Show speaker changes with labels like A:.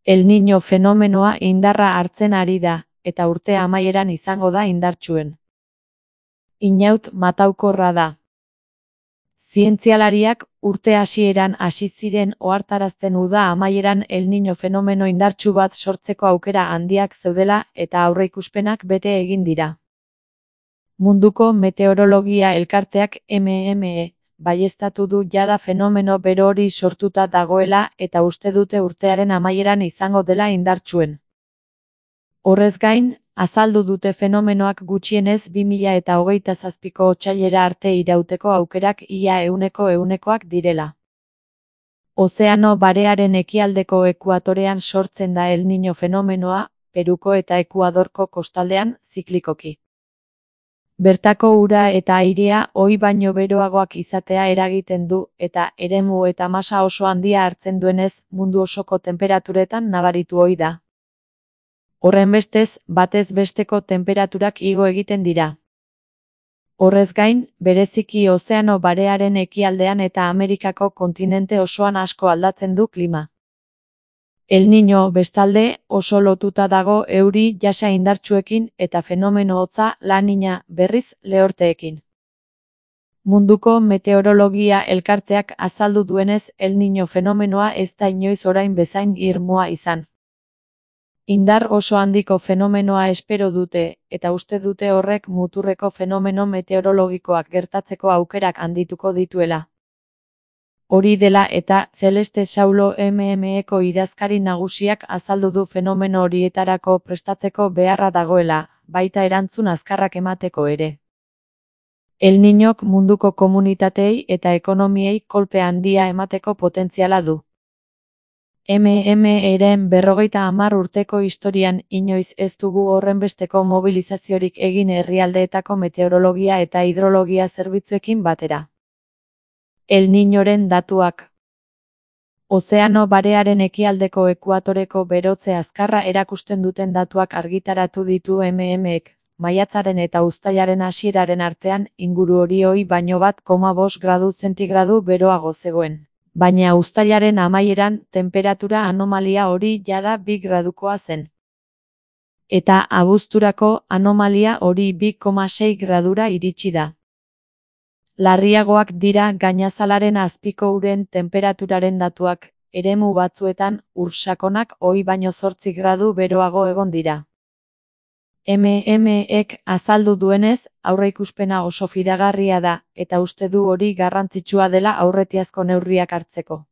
A: El Niño fenomenoa indarra hartzen ari da, eta urte amaieran izango da indartsuen. Inaut mataukorra da. Zientzialariak urte hasieran hasi ziren ohartarazten uda amaieran El Niño fenomeno indartsu bat sortzeko aukera handiak zeudela eta aurreikuspenak bete egin dira. Munduko Meteorologia Elkarteak MME baieztatu du jada fenomeno bero hori sortuta dagoela eta uste dute urtearen amaieran izango dela indartsuen. Horrez gain, azaldu dute fenomenoak gutxienez 2027ko otsailera arte irauteko aukerak ia 100%koak direla. Ozeano Barearen ekialdeko ekuatorean sortzen da El Niño fenomenoa, Peruko eta Ekuadorko kostaldean, ziklikoki. Bertako ura eta airea ohi baino beroagoak izatea eragiten du eta eremu eta masa oso handia hartzen duenez mundu osoko tenperaturetan nabaritu ohi da. Horrenbestez, batez besteko tenperaturak igo egiten dira. Horrez gain, bereziki Ozeano Barearen ekialdean eta Amerikako kontinente osoan asko aldatzen du klima. El Niño, bestalde, oso lotuta dago euri jasa indartsuekin eta fenomeno hotza La Niña, berriz, lehorteekin. Munduko Meteorologia Elkarteak azaldu duenez El Niño fenomenoa ez da inoiz orain bezain irmoa izan. Indar oso handiko fenomenoa espero dute, eta uste dute horrek muturreko fenomeno meteorologikoak gertatzeko aukerak handituko dituela. Hori dela eta Celeste Saulo MMEko idazkari nagusiak azaldu du fenomeno horietarako prestatzeko beharra dagoela, baita erantzun azkarrak emateko ere. El Niñok munduko komunitateei eta ekonomiei kolpe handia emateko potentziala du. MMEren 50 urteko historian inoiz ez dugu horrenbesteko mobilizaziorik egin herrialdeetako meteorologia eta hidrologia zerbitzuekin batera. El Niñoren datuak. Ozeano Barearen ekialdeko ekuatoreko berotze azkarra erakusten duten datuak argitaratu ditu MMEk, maiatzaren eta uztailaren hasieraren artean inguru hori ohi baino 1,5 gradu zentigradu beroago zegoen. Baina uztailaren amaieran tenperatura anomalia hori jada 2 gradukoa zen. Eta abuzturako anomalia hori 2,6 gradura iritsi da. Larriagoak dira gainazalaren azpiko uren tenperaturaren datuak, eremu batzuetan ur sakonak ohi baino 8 gradu beroago egon dira. MMEek azaldu duenez, aurreikuspena oso fidagarria da, eta uste du hori garrantzitsua dela aurretiazko neurriak hartzeko.